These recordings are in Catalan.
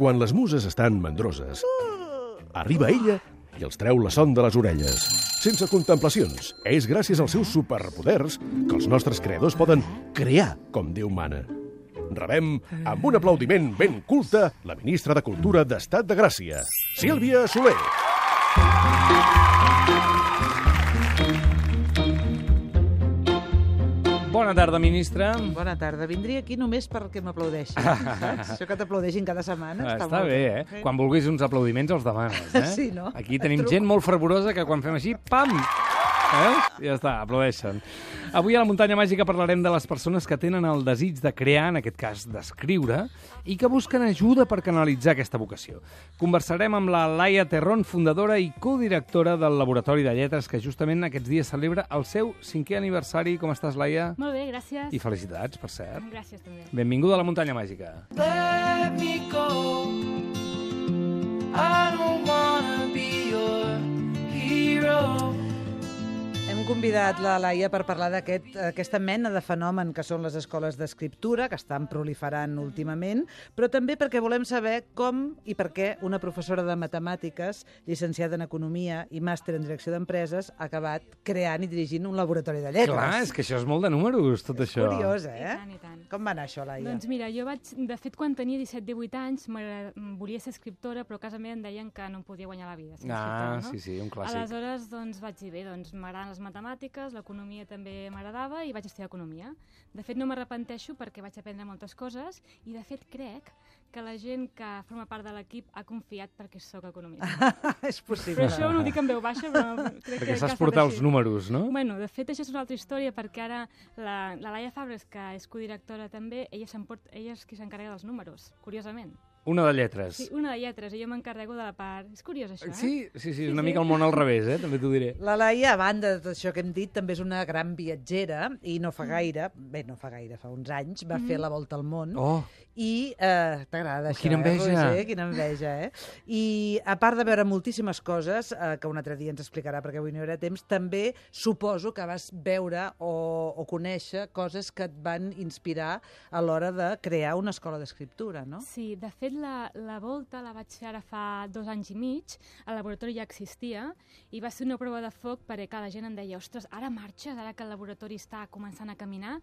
Quan les muses estan mandroses, arriba ella i els treu la son de les orelles. Sense contemplacions, és gràcies als seus superpoders que els nostres creadors poden crear com Déu mana. Rebem, amb un aplaudiment ben culte, la ministra de Cultura d'Estat de Gràcia, Sílvia Soler. Bona tarda, ministra. Bona tarda. Vindria aquí només perquè m'aplaudeixin. Això que t'aplaudeixin cada setmana Està bé, eh? Quan vulguis uns aplaudiments els demanes, eh? Sí, no? Aquí tenim gent molt fervorosa que quan fem així, pam! Ja està, aplaudeixen. Avui a la Muntanya Màgica parlarem de les persones que tenen el desig de crear, en aquest cas d'escriure, i que busquen ajuda per canalitzar aquesta vocació. Conversarem amb la Laia Terrón, fundadora i codirectora del Laboratori de Lletres, que justament aquests dies celebra el seu 5è aniversari. Com estàs, Laia? Molt bé, gràcies. I felicitats, per cert. Gràcies, també. Benvinguda a la Muntanya Màgica. Let me go. I don't wanna be your hero. Hem convidat la Laia per parlar d'aquesta mena de fenomen que són les escoles d'escriptura, que estan proliferant últimament, però també perquè volem saber com i per què una professora de matemàtiques, llicenciada en Economia i màster en Direcció d'Empreses, ha acabat creant i dirigint un laboratori de lletres. Clar, és que això és molt de números, tot això. És curiós, eh? I tant. Com va anar això, Laia? Doncs mira, jo de fet, quan tenia 17-18 anys, volia ser escriptora, però a casa meva em deien que no em podia guanyar la vida sent escriptora, no? Sí, un clàssic. Aleshores, doncs, vaig dir, bé, doncs m'agraden les matemàtiques, l'economia també m'agradava i vaig estudiar economia. De fet, no m'arrepenteixo perquè vaig aprendre moltes coses i, de fet, crec que la gent que forma part de l'equip ha confiat perquè sóc economista. És possible. Però això no ho dic en veu baixa, però crec Perquè que saps ha estat portar així. els números, no? Bueno, de fet, això és una altra història, perquè ara la Laia Fabres, que és codirectora també, ella és qui s'encarrega dels números, curiosament. Una de lletres. Sí, una de lletres, i jo m'encarrego de la part... És curiós, això, Sí, una mica el món al revés, també t'ho diré. La Laia, a banda de tot això que hem dit, també és una gran viatgera i no fa gaire, fa uns anys, va fer la volta al món. Oh, I t'agrada això, quina enveja. Roger? Quina enveja, eh? I a part de veure moltíssimes coses, que un altre dia ens explicarà perquè avui no hi haurà temps, també suposo que vas veure o conèixer coses que et van inspirar a l'hora de crear una escola d'escriptura, no? Sí, de fet, la volta la vaig fer ara fa 2 anys i mig, el laboratori ja existia, i va ser una prova de foc perquè la gent em deia, ostres, ara marxes, ara que el laboratori està començant a caminar,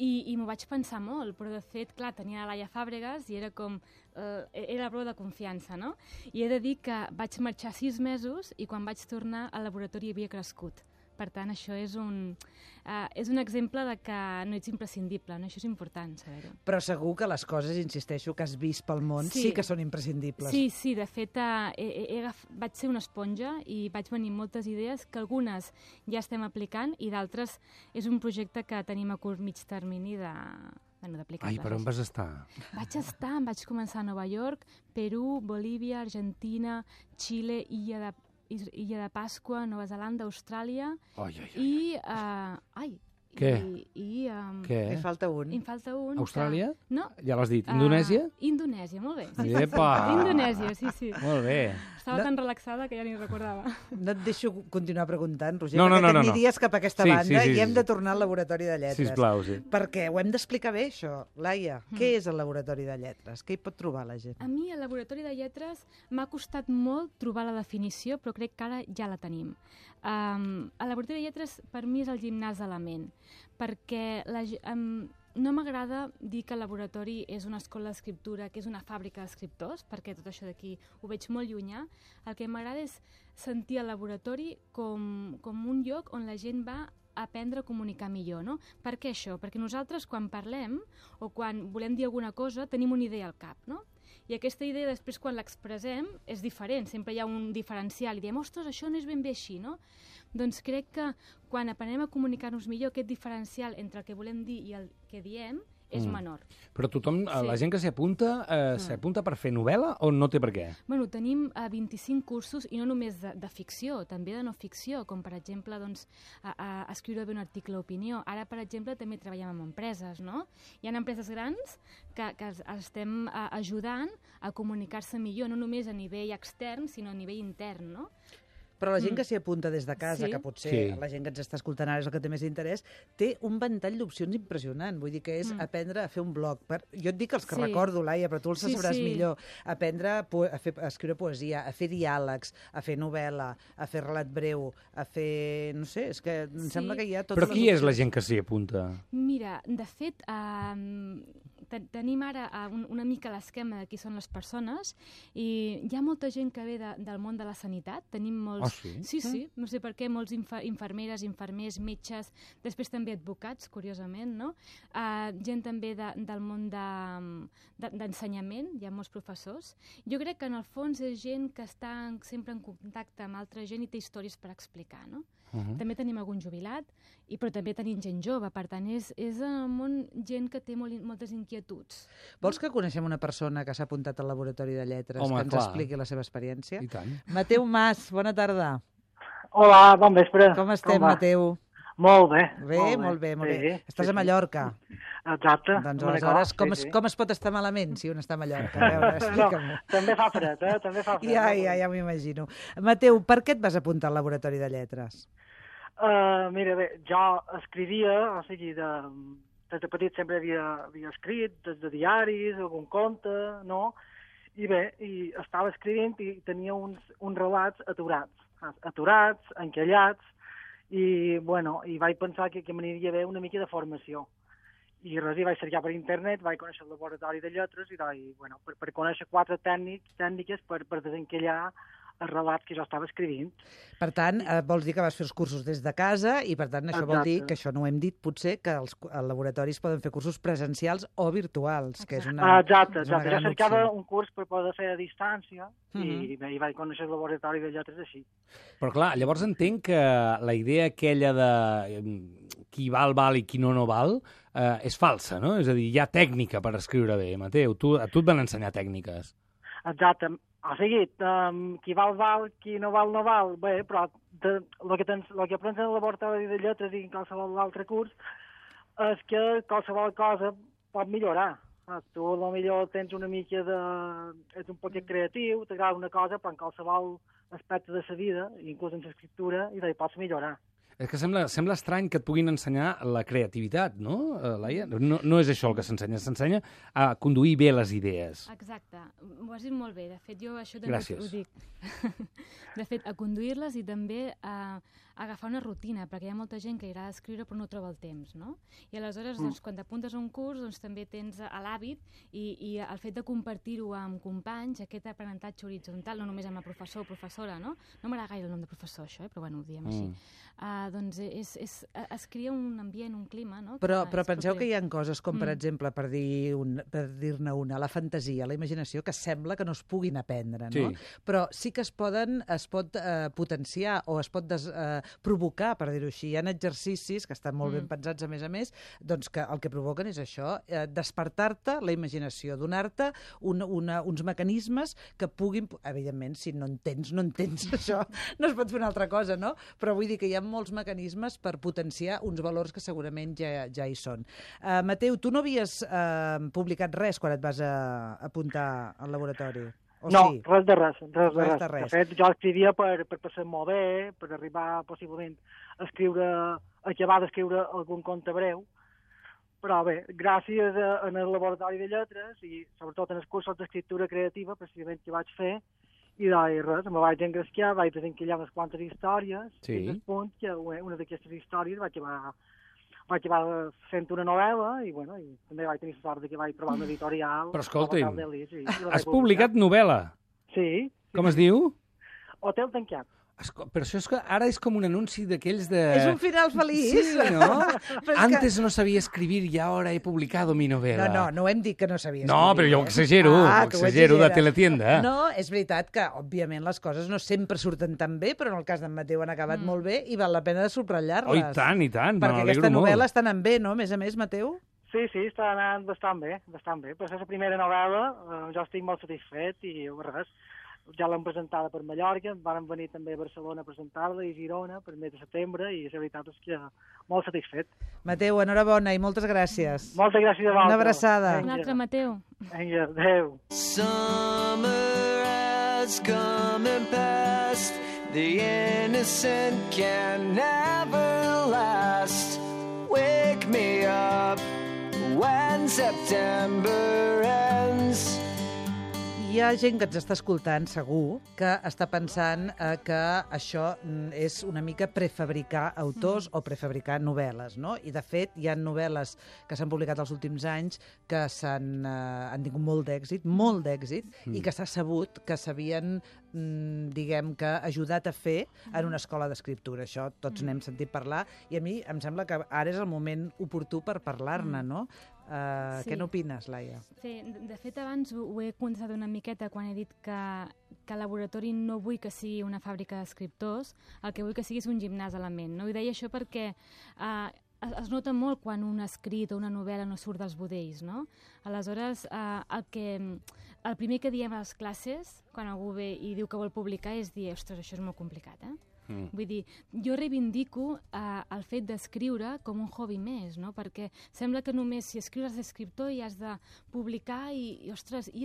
i m'ho vaig pensar molt, però de fet, clar, tenia la Laia Fàbregas i era com... era la prova de confiança, no? I he de dir que vaig marxar 6 mesos i quan vaig tornar el laboratori havia crescut. Per tant, això és un exemple de que no ets imprescindible, no? Això és important, saber-ho. Però segur que les coses, insisteixo, que has vist pel món sí que són imprescindibles. Sí, de fet, vaig ser una esponja i vaig venir moltes idees que algunes ja estem aplicant i d'altres és un projecte que tenim a curt mig termini d'aplicar-les. Ai, per on vas estar? Vaig començar a Nova York, Perú, Bolívia, Argentina, Xile, Illa de Pasqua, Nova Zelanda, Austràlia i... Què? Què? En falta un. Em falta un. Austràlia? No. Ja l'has dit. Indonèsia? Indonèsia, molt bé. Sí. Epa! Indonèsia, sí. Molt bé. Estava tan relaxada que ja ni recordava. No et deixo continuar preguntant, Roger, No. perquè t'aniries cap a aquesta banda i hem de tornar al laboratori de lletres. Sisplau, sí. Perquè ho hem d'explicar bé, això. Laia, què és el laboratori de lletres? Què hi pot trobar la gent? A mi, el laboratori de lletres, m'ha costat molt trobar la definició, però crec que ara ja la tenim. El laboratori de lletres, per mi, és el gimnàs de la ment, perquè no m'agrada dir que el laboratori és una escola d'escriptura, que és una fàbrica d'escriptors, perquè tot això d'aquí ho veig molt llunyà. El que m'agrada és sentir el laboratori com un lloc on la gent va a aprendre a comunicar millor, no? Per què això? Perquè nosaltres, quan parlem o quan volem dir alguna cosa, tenim una idea al cap, no? I aquesta idea, després, quan l'expressem, és diferent. Sempre hi ha un diferencial. I diem, ostres, això no és ben bé així, no? Doncs crec que quan aprenem a comunicar-nos millor, aquest diferencial entre el que volem dir i el que diem és menor. Però tothom, la gent que s'hi apunta per fer novel·la o no té per què? Bueno, tenim 25 cursos, i no només de ficció, també de no ficció, com per exemple doncs, escriure bé un article d'opinió. Ara, per exemple, també treballem amb empreses, no? Hi ha empreses grans que estem ajudant a comunicar-se millor, no només a nivell extern, sinó a nivell intern, no? Però la gent que s'hi apunta des de casa, Sí. que potser Sí. la gent que ens està escoltant ara és el que té més interès, té un ventall d'opcions impressionant. Vull dir que és aprendre a fer un blog. Jo et dic els que Sí. recordo, Laia, però tu els Sí, sabràs sí. millor. Aprendre a escriure poesia, a fer diàlegs, a fer novel·la, a fer relat breu, a fer... No sé, és que em Sí. sembla que hi ha totes Però les qui és la opcions. gent que s'hi apunta? Mira, de fet, tenim ara una mica l'esquema de qui són les persones i hi ha molta gent que ve del món de la sanitat. Tenim molts... Ah, sí? Sí, no sé per què, molts infermeres, infermers, metges, després també advocats, curiosament, no? Gent també del món d'ensenyament, hi ha molts professors. Jo crec que en el fons és gent que està sempre en contacte amb altra gent i té històries per explicar, no? També tenim algun jubilat, però també tenim gent jove, per tant, és el món gent que té moltes inquietuds. Vols que coneixem una persona que s'ha apuntat al laboratori de lletres, Home, que ens clar. expliqui la seva experiència? I tant. Mateu Mas, bona tarda. Hola, bon vespre. Com estem, va? Mateu? Molt bé. Bé, molt bé. Sí, Estàs a Mallorca. Exacte. Doncs me aleshores, n'acord, sí. com es pot estar malament si un està a Mallorca? A veure, explica'm-ho. També fa fred, també fa fred. Ja m'imagino. Mateu, per què et vas apuntar al laboratori de lletres? Mira, bé, jo escrivia, o sigui, des de petit sempre havia escrit, des de diaris, algun conte, no? I bé, estava escrivint i tenia uns relats aturats, encallats, i vaig pensar que m'aniria bé una mica de formació. I res, vaig cercar per internet, vaig conèixer el laboratori de lletres i per conèixer 4 tècniques per desencallar els relats que jo estava escrivint. Per tant, vols dir que vas fer els cursos des de casa i, per tant, això vol dir, que això no ho hem dit, potser, que els laboratoris poden fer cursos presencials o virtuals, que és una Exacte. Jo gran cercava opció. un curs per poder fer a distància i vaig conèixer el laboratori de lletres així. Però clar, llavors entenc que la idea aquella de qui val i qui no val és falsa, no? És a dir, hi ha tècnica per escriure bé. Mateu, a tu et van ensenyar tècniques. Exacte. O sigui, qui val, qui no val. Bé, però el que aprens en el laboratori de lletres i en qualsevol altre curs és que qualsevol cosa pot millorar. Tu potser tens una mica ets un poquet creatiu, t'agrada una cosa, però en qualsevol aspecte de la vida, inclús en l'escriptura, i pots millorar. És que sembla estrany que et puguin ensenyar la creativitat, no, Laia? No és això el que s'ensenya a conduir bé les idees. Exacte, ho has dit molt bé. De fet, jo això també Gràcies. ho dic. De fet, a conduir-les i també a agafar una rutina, perquè hi ha molta gent que li agrada escriure però no troba el temps, no? I aleshores, quan t'apuntes a un curs, també tens l'hàbit i el fet de compartir-ho amb companys, aquest aprenentatge horitzontal, no només amb el professor o professora, no? No m'agrada gaire el nom de professor, això, però ho diem així. Doncs es crea un ambient, un clima, no? Però penseu que hi ha coses com, per exemple, per dir-ne una, la fantasia, la imaginació, que sembla que no es puguin aprendre, no? Sí. Però sí que es pot potenciar o es pot provocar, per dir-ho així. Hi ha exercicis que estan molt ben pensats, a més, doncs que el que provoquen és això, despertar-te la imaginació, donar-te uns mecanismes que puguin... Evidentment, si no entens això, no es pot fer una altra cosa, no? Però vull dir que hi ha molts mecanismes per potenciar uns valors que segurament ja hi són. Mateu, tu no havies publicat res quan et vas apuntar al laboratori? No, sí? res de res. De fet, jo escrivia per passar-m'ho bé, per arribar possiblement a acabar d'escriure algun conte breu, però bé, gràcies al laboratori de lletres i sobretot en els cursos d'escriptura creativa, precisament que vaig fer, i res, me vaig engrescar, vaig desencallar unes quantes històries, Sí. fins al punt que una d'aquestes històries va acabar fent una novel·la i també vaig tenir la sort que vaig trobar una editorial. Però escolti'm, has has publicat novel·la. Sí. Com es diu? Hotel tancat. Però això és que ara és com un anunci d'aquells de... És un final feliç. Sí, no? Però és Antes no sabía escribir y ahora he publicado mi novela. No hem dit que no sabies No, però jo ho exagero, tu ho de exageres. teletienda. No, és veritat que, òbviament, les coses no sempre surten tan bé, però en el cas d'en Mateu han acabat molt bé i val la pena de subratllar-les. Oh, i tant, Perquè m'alegro aquesta novel·la molt. està anant bé, no? A més, Mateu? Sí, està anant bastant bé. Per ser la primera novel·la, jo estic molt satisfet i res, ja l'hem presentada per Mallorca, van venir també a Barcelona a presentar-la i Girona per mes de setembre i la veritat és que molt satisfet. Mateu, enhorabona i moltes gràcies. Moltes gràcies a vosaltres. Una abraçada. Un altre Mateu. Vinga, adéu. Summer has come and passed. The innocent can never last. Wake me up when September ends. Hi ha gent que ens està escoltant, segur, que està pensant que això és una mica prefabricar autors o prefabricar novel·les, no? I, de fet, hi ha novel·les que s'han publicat els últims anys que han tingut molt d'èxit, i que s'ha sabut que s'havien, diguem que, ajudat a fer en una escola d'escriptura. Això tots n'hem sentit parlar, i a mi em sembla que ara és el moment oportú per parlar-ne, no? Sí. Què n'opines, Laia? Sí, de fet, abans ho he contestat una miqueta quan he dit que el laboratori no vull que sigui una fàbrica d'escriptors, el que vull que sigui és un gimnàs a la ment. No? I deia això perquè es nota molt quan un escrit o una novel·la no surt dels budells, no? Aleshores, el primer que diem a les classes, quan algú ve i diu que vol publicar, és dir, ostres, això és molt complicat, Vull dir, jo reivindico el fet d'escriure com un hobby més, no? Perquè sembla que només si escrius d'escriptor i has de publicar i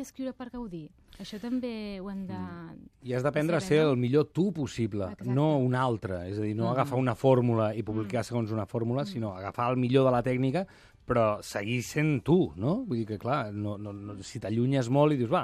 escriure per gaudir. Això també ho hem de... I has d'aprendre a ser el millor tu possible, no un altre. És a dir, no agafar una fórmula i publicar segons una fórmula, sinó agafar el millor de la tècnica, però seguir sent tu, no? Vull dir que, clar, si t'allunyes molt i dius, va,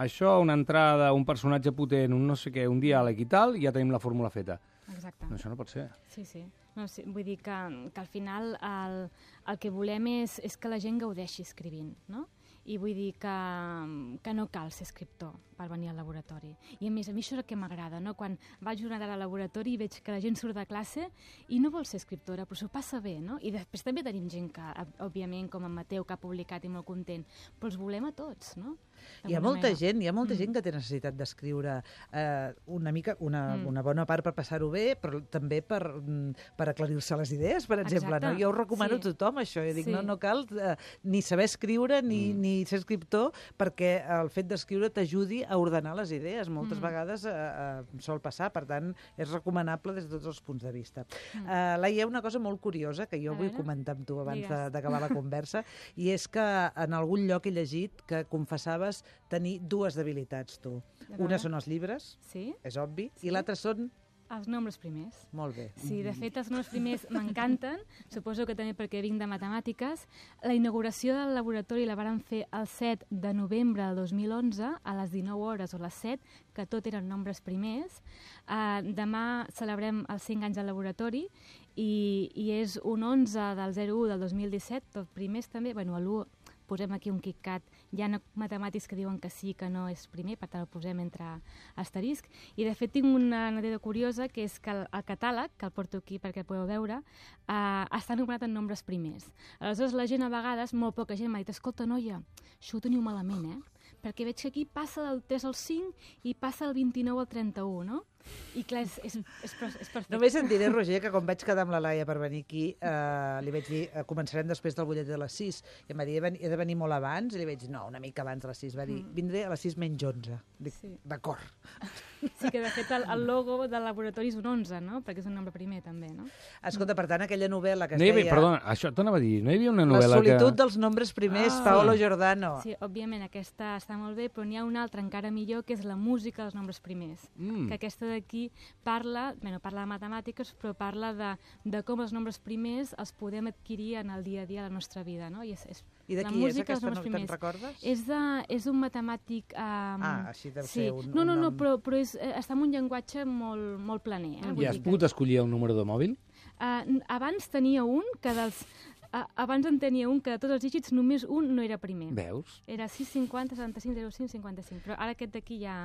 això, una entrada, un personatge potent, un no sé què, un diàleg i tal, i ja tenim la fórmula feta. Exacte. No, això no pot ser. Sí. No, sí. Vull dir que al final el que volem és que la gent gaudeixi escrivint, no? I vull dir que no cal ser escriptor per venir al laboratori. I a mi això és el que m'agrada, no? Quan vaig una hora al laboratori i veig que la gent surt de classe i no vol ser escriptora, però s'ho passa bé, no? I després també tenim gent que, òbviament, com en Mateu, que ha publicat i molt content, però els volem a tots, no? Hi ha molta gent que té necessitat d'escriure una mica, una bona part per passar-ho bé, però també per aclarir-se les idees, per exemple. No? Jo ho recomano a tothom, això. Jo dic, no cal ni saber escriure ni ser escriptor, perquè el fet d'escriure t'ajudi a ordenar les idees. Moltes vegades sol passar, per tant, és recomanable des de tots els punts de vista. Laia, hi ha una cosa molt curiosa que jo vull comentar amb tu abans d'acabar la conversa, i és que en algun lloc he llegit que confessaves tenir dues debilitats, tu. Una són els llibres, és obvi, i l'altra són... Els nombres primers. Molt bé. Sí, de fet, els nombres primers m'encanten, suposo que també perquè vinc de matemàtiques. La inauguració del laboratori la varen fer el 7 de novembre del 2011, a les 19 hores o les 7, que tot eren nombres primers. Demà celebrem els 5 anys del laboratori i és un 11 del 01 del 2017, tot primers també, bueno, l'1 posem aquí un KitKat, hi ha matemàtics que diuen que sí, que no és primer, per tant el posem entre asterisc, i de fet tinc una anècdota curiosa, que és que el catàleg, que el porto aquí perquè el podeu veure, està anomenat en nombres primers. Aleshores la gent a vegades, molt poca gent m'ha dit, escolta noia, això ho teniu malament, perquè veig que aquí passa del 3 al 5 i passa del 29 al 31, no? I clar, és perfecte. Només et diré, Roger, que quan vaig quedar amb la Laia per venir aquí, li vaig dir, començarem després del butllet de les 6, i em va dir, he de venir molt abans, i li vaig dir, no, una mica abans de les 6, va dir, vindré a les 6 menys 11. Dic, d'acord. Sí, que de fet el logo del laboratori és un 11, no? Perquè és un nombre primer, també, no? Escolta, per tant, aquella novel·la que es deia... Perdona, això t'anava a dir, no hi havia una novel·la que... La solitud dels nombres primers, Paolo Giordano. Sí, òbviament, aquesta està molt bé, però n'hi ha una altra encara millor, que és la música dels nombres primers. Que aquesta d'aquí parla de matemàtiques, però parla de com els nombres primers els podem adquirir en el dia a dia de la nostra vida, no? I de qui és aquesta, te'n recordes? És un matemàtic... així deu ser un No, nom. però està en un llenguatge molt planer. I has pogut escollir un número de mòbil? Abans tenia un que abans en tenia un que de tots els dígits només un no era primer. Veus? Era 650, 75, 05, 55, però ara aquest d'aquí ja...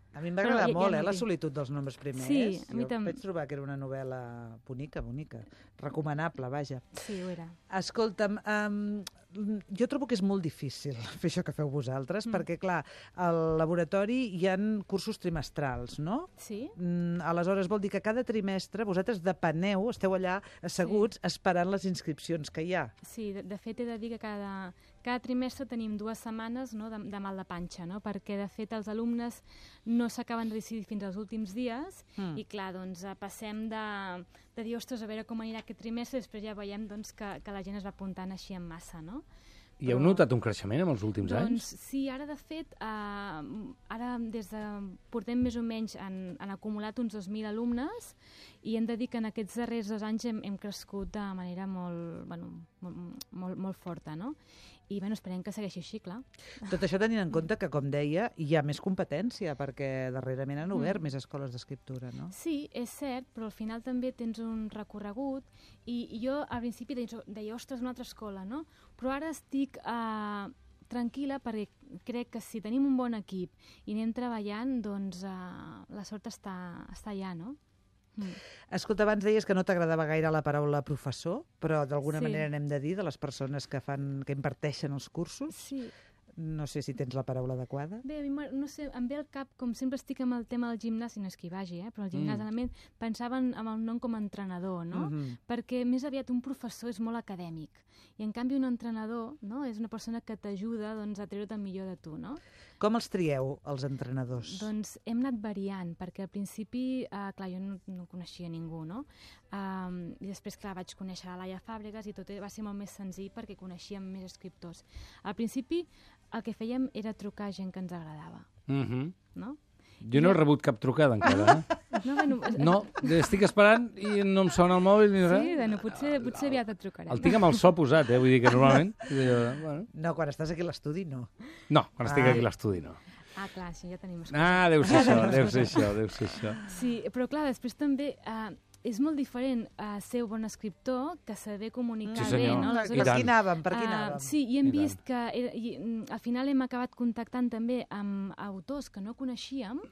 A mi em va agradar molt, la solitud dels nombres primers. Sí, a mi també. Vaig trobar que era una novel·la bonica. Recomanable, vaja. Sí, ho era. Escolta'm, jo trobo que és molt difícil fer això que feu vosaltres, perquè, clar, al laboratori hi ha cursos trimestrals, no? Sí. Aleshores, vol dir que cada trimestre vosaltres depeneu, esteu allà asseguts esperant les inscripcions que hi ha. Sí, de fet he de dir que cada trimestre tenim 2 setmanes, no, de mal de panxa, no? Perquè de fet els alumnes no s'acaben de decidir fins als últims dies i clar, doncs passem de dir, ostres, a veure com anirà aquest trimestre, i després ja veiem doncs, que la gent es va apuntant així en massa, no? I heu notat un creixement en els últims anys? Doncs sí, ara de fet, portem més o menys, han acumulat uns 2.000 alumnes i hem de dir que en aquests darrers 2 anys hem crescut de manera molt forta, no? I esperem que segueixi així, clar. Tot això tenint en compte que, com deia, hi ha més competència, perquè darrerament han obert més escoles d'escriptura, no? Sí, és cert, però al final també tens un recorregut i jo al principi deia, ostres, una altra escola, no? Però ara estic tranquil·la perquè crec que si tenim un bon equip i anem treballant, doncs la sort està allà, no? Escolta, abans deies que no t'agradava gaire la paraula professor, però d'alguna manera n'hem de dir de les persones que imparteixen els cursos. Sí. No sé si tens la paraula adequada. Bé, a mi no sé, em ve al cap, com sempre estic amb el tema del gimnàs, i no és que hi vagi, però el gimnàs, pensava en el nom com a entrenador, no? Perquè més aviat un professor és molt acadèmic, i en canvi un entrenador, no?, és una persona que t'ajuda a treure't el millor de tu, no? Com els trieu, els entrenadors? Doncs hem anat variant, perquè al principi, clar, jo no coneixia ningú, no? I després, clar, vaig conèixer la Laia Fàbregas i tot va ser molt més senzill perquè coneixíem més escriptors. Al principi el que fèiem era trucar a gent que ens agradava, no? Jo no he rebut cap trucada encara, No, estic esperant i no em sona el mòbil ni res. Sí, bueno, potser aviat et trucarem. El tinc amb el so posat, vull dir que normalment... No, quan estàs aquí a l'estudi, no. No, quan estic aquí a l'estudi, no. Clar, sí, ja tenim excuses. Deu ser això. Sí, però clar, després també... és molt diferent ser un bon escriptor que saber comunicar bé, no? Per aquí anàvem. Sí, i hem vist que al final hem acabat contactant també amb autors que no coneixíem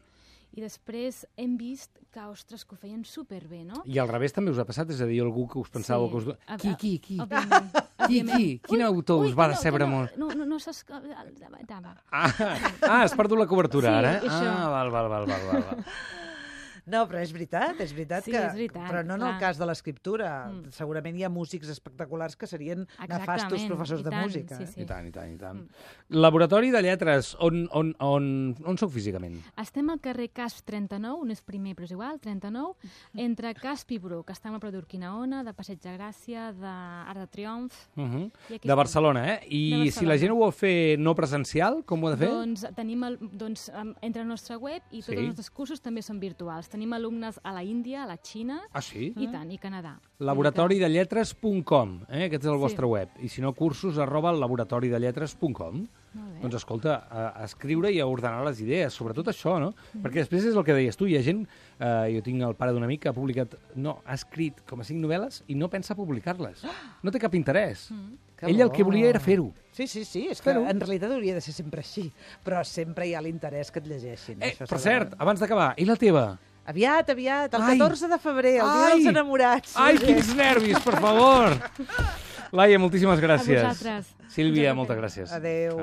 i després hem vist que, ostres, que ho feien superbé, no? I al revés també us ha passat? És a dir, algú que us pensàveu que us... Qui? Òbviament. Quin autor us va decebre molt? No saps... Has perdut la cobertura, ara? Sí, això. Val. No, però és veritat Sí, que... és veritat, però no en el clar. cas de l'escriptura. Segurament hi ha músics espectaculars que serien nefastos professors de música. Sí. I tant. Laboratori de Lletres, on sou físicament? Estem al carrer Casp 39, no és primer, però és igual, 39, entre Casp i Bruc. Estem a Pla d'Urquinaona, de Passeig de Gràcia, d'Arc de Triomf... De Barcelona, I si la gent ho vol fer no presencial, com ho ha de fer? Doncs tenim entre el nostre web i tots els nostres cursos també són virtuals. Tenim alumnes a la Índia, a la Xina... Ah, sí? I tant, i Canadà. Laboratoridelletres.com, aquest és el vostre web. I si no, cursos@laboratoridelletres.com. Doncs escolta, a escriure i a ordenar les idees, sobretot això, no? Perquè després és el que deies tu, hi ha gent, jo tinc el pare d'un amic que ha escrit com a 5 novel·les i no pensa publicar-les. No té cap interès. Ell el que volia era fer-ho. Sí, és que en realitat hauria de ser sempre així, però sempre hi ha l'interès que et llegeixin. Per cert, abans d'acabar, i la teva? Aviat, el 14 de febrer, el dia dels enamorats. Ai, quins nervis, per favor! Laia, moltíssimes gràcies. A vosaltres. Sílvia, moltes gràcies. Adéu.